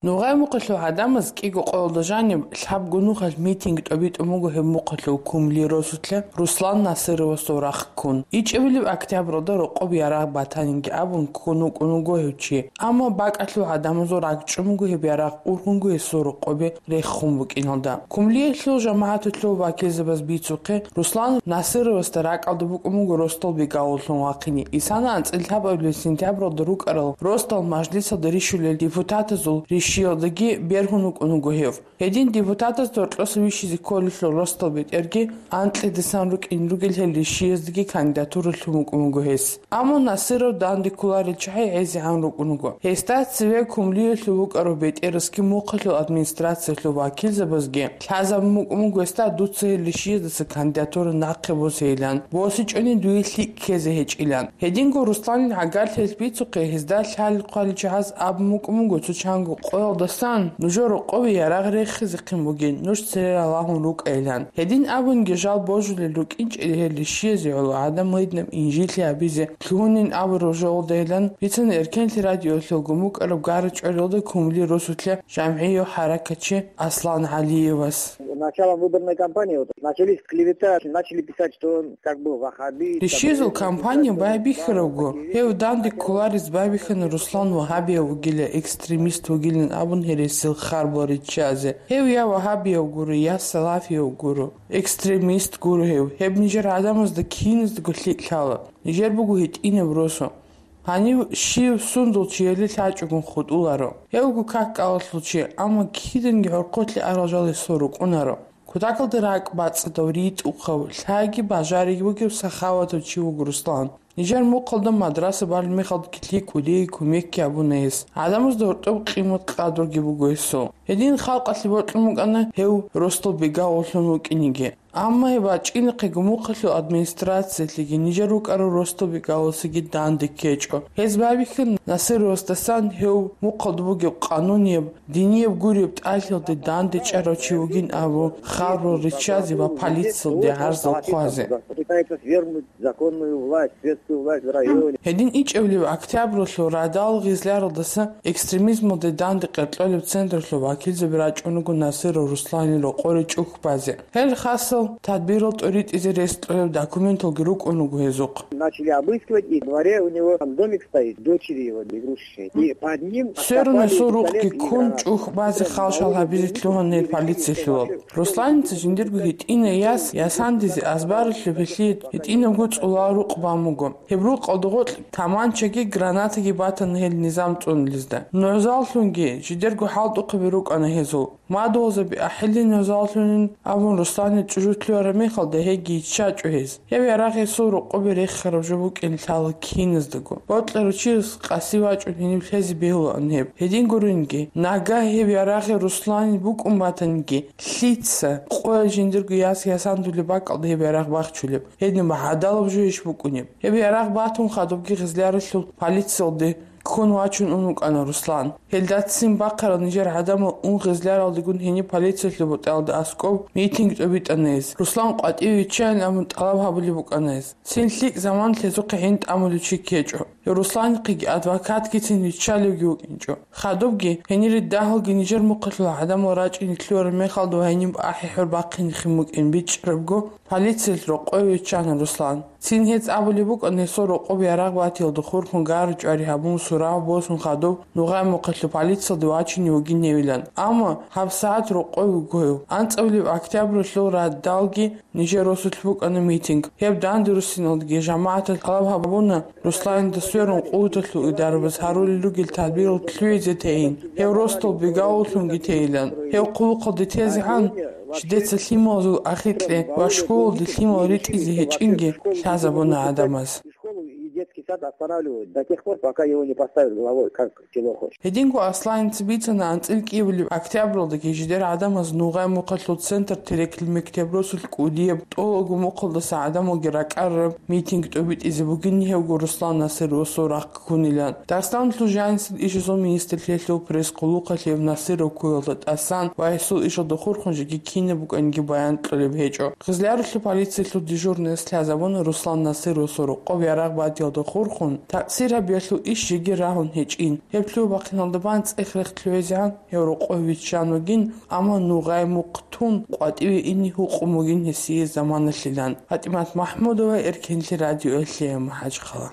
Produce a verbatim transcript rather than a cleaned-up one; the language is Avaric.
Нугъай мухъалъул гӀадамаз кӀиго къоялда жаниб лъабго нухалъ митинг тӀобитӀун буго гьеб мухъалъул Кумли росулъа Руслан Насыровасул рахъ ккун. ИчӀабилеб октябралда рокъоб ярагъ батаниги абун ккун вукӀун вуго гьев чи. Амма бакӀалъул гӀадамазул ракӀчӀун буго гьеб ярагъ ургъунго гьесул рокъобе рехун букӀиналда. Кумлиялъул жамагӀаталъул вакилзабаз бицухъе, Руслан Насыровасда ракӀалда букӀун буго росдал бегавуллъун вахъине. Исана анцӀила лъабабилеб сентябралда рукӀарал росдал мажлисалда рищулел депутатазул рищиялдаги бергьун вукӀун вуго гьев. Гьедин депутатазда гьоркьоса вищизе кколелъул росдал бетӀерги анкьидасан рукӀин ругел гьел рищияздаги кандидатура лъун вукӀун вуго гьес. Амма Насыров данде кколарел чагӀи гӀезегӀан рукӀун вуго. Гьесда цеве Кумлиялъул вукӀарав бетӀерасги мухъалъул администрациялъул вакилзабазги лъазабун букӀун буго гьесда дуца гьел рищиязда кандидатура нахъе босейилан, босичӀони дуе лъикӀ ккезе гьечӀилан. Гьединго Русланил гӀагарлъиялъ бицухъе, гьезда лъалел-хъвалел чагӀаз абун букӀун буго цо чанго къоялдасан нужер рокъове ярагъ рехизехъин бугин, нуж цере ралагьун рукӀайилан. Гьедин абунги жал божулел рукӀинчӀели гьел рищиязде гӀоло гӀадамал гьединаб инжитлъи гьабизе лъугьунин абураб жоялдайилан бицана Эркенлъи радиоялъулгун букӀараб Гара ЧӀвариялда Кумли росулъа жамгӀияв хӀаракатчи Аслан ГӀалиевас. Началом выборной кампании вот начались клевета, начали писать, что он как бы ваххабит. Рищиязул кампания байбихьарабго, гьев данде кколарез байбихьана Руслан вагьабияв вугила, экстремист вугилан абун гьересил харбал риччазе. Гьев я вагьабияв гуро, я салафияв гуро, экстремист гуро гьев. Гьеб нижер гӀадамазда киназдаго лъикӀ лъала. Нижер буго гьитӀинаб росу. Гьанив щив сундул чияли лъачӀогун хутӀуларо. Гьевго как кӀалалъул чи, амма киданги гӀорхъулъе арал жал гьесул рукӀунаро. Кутакалда ракӀ бацӀцӀадав, ритӀухъав, лъайги бажариги бугев сахаватав чи вуго Руслан. Нижер мухъалда мадраса балеб мехалдаги лъикӀ кӀудияй кумекги гьабуна гьес. ГӀадамазда гьоркьоб къимат-къадруги буго гьесул. Гьедин халкъалъе бокьун букӀана гьев росдал бегавуллъун вукӀинеги. Амма гьеб бачӀинахъего мухъалъул администрациялъеги нижер рукӀарал росдал бегавуласеги данде ккечӀо. Гьез байбихьана Насыровасдасан гьев мухъалда бугеб къанунияб, динияб гуреб тӀалъиялде данде чӀарав чи вугин абун, харбал риччазе ва полициялде гӀарзал хъвазе. Пытается свергнуть законную власть, светскую власть в районе. Гьедин ичӀабилеб октябралъул радал гъизляралдаса экстремизмалде данде къеркьолеб центрлъул вакилзаби рачӀун руго Насыров Русланил рокъоре чӀухь базе. Гьел хасал тадбирал тӀоритӀизе рес кьолеб документалги рукӀун руго гьезухъ. Начали обыскивать, и во дворе у него там домик стоит, дочери его игрушечные. И под ним... Сверун гьесул рукъги ккун, чӀухь базе халшал гьабизе лъугьана гьел полициялъулал. Русланица жиндирго гьитӀинай яс ясандизе азбаралъуб гьелъие гьитӀинабго цӀулал рукъ бан буго. Гьеб рукъалда гъоркь таманчаги гранатаги батана гьел низам цӀунулезда. НугӀзаллъунги жидерго хӀалтӀухъаби рукӀана гьезул. Мадугьалзаби ахӀилин нугӀзаллъунин абун Русланил чӀужу лъугьараб мехалда гьеги йиччачӀо гьез. Гьеб ярагъ гьесул рокъобе рехараб жо букӀин лъала киназдаго. Бокьарав чияс къаси вачӀун гьенив лъезе бегьулаан гьеб. Гьедин гуринги, нагагь гьеб ярагъ Русланил букӀун батаниги, лъица къоялъ жиндирго яс ясандулеб бакӀалда гьеб ярагъ бахчулеб? Гьедин гӀадалаб жо иш букӀунеб? Гьеб ярагъ батун хадубги гъизляралъул полициялде ккун вачун ун вукӀана Руслан. Гьелдацин бахъарал нижер гӀадамал ун гъизляралдегун гьениб полициялъул бутӀалда аскӀоб митинг тӀобитӀана гьез. Руслан къватӀиве виччайин абун тӀалаб гьабулеб букӀана гьез. Цин лъикӀ заман лъезухъе гьин тӀамулев чи ккечӀо. Гьев Русланихъеги адвокатгицин виччалевги вукӀинчӀо. Хадубги, гьенире дагьалги нижер мухъалъул гӀадамал рачӀине лъугьараб мехалда ва гьениб ахӀи-хӀур бахъинихин букӀин бичӀчӀарабго, полициялъ рокъове виччана Руслан. Цин гьез абулеб букӀана гьесул рокъоб ярагъ батиялда хурхун гара-чӀвари гьабун, сурав босун хадуб Нугъай мухъалъул полициялде вачине вугин гьевилан. Амма гьабсагӀат рокъове вуго гьев. АнцӀабилеб октябралъул радалги нижер росулъ букӀана митинг. Гьеб данде руссиналдаги жамагӀаталъ тӀалаб гьабуна Русланида сверун къуваталъул идарабаз гьарулел ругел тадбирал лъугӀизе тейин, гьев росдал бегавуллъунги тейилан. Гьев хъулухъалде тезегӀан, жидеца лъималазул ахикье ва школалде лъимал ритӀизе гьечӀинги лъазабуна гӀадамаз. Школу и детский сад останавливают до тех пор, пока его не поставят главой, как чего хочешь. Гьединго Асланица бицана анцӀила кӀиабилеб октябралдаги жидер гӀадамаз Нугъай мухъалъул центр Терекли мектеб росулъ кӀудияб тӀолабго мухъалдаса гӀадамалги ракӀарараб митинг тӀобитӀизе бугин гьевго Руслан Насыровасул рахъ ккунилан. Дагъистаналъул жанисел ишазул министрлъиялъул пресс-къуллукъалъ гьев Насыров ккуялда тӀасан ва гьесул ишалда хурхун жеги кинаб букӀаниги баян кьолеб гьечӀо. Гъизляралъул полициялъул дежурныяс лъазабуна Руслан Насыровасул рокъоб ярагъ батиялда урхун, такъсир гьабиялъул иш жеги рагьун гьечӀин. Гьеб лъугьа-бахъиналда бан цӀех-рех лъугьезегӀан гьев рокъове виччан вугин, амма нугъай мухъ тун къватӀиве ине гьукъун бугин гьесие заманалъилан. ПатӀимат МахӀмудова, Эркенлъи радиоялъе, МахӀачхъала.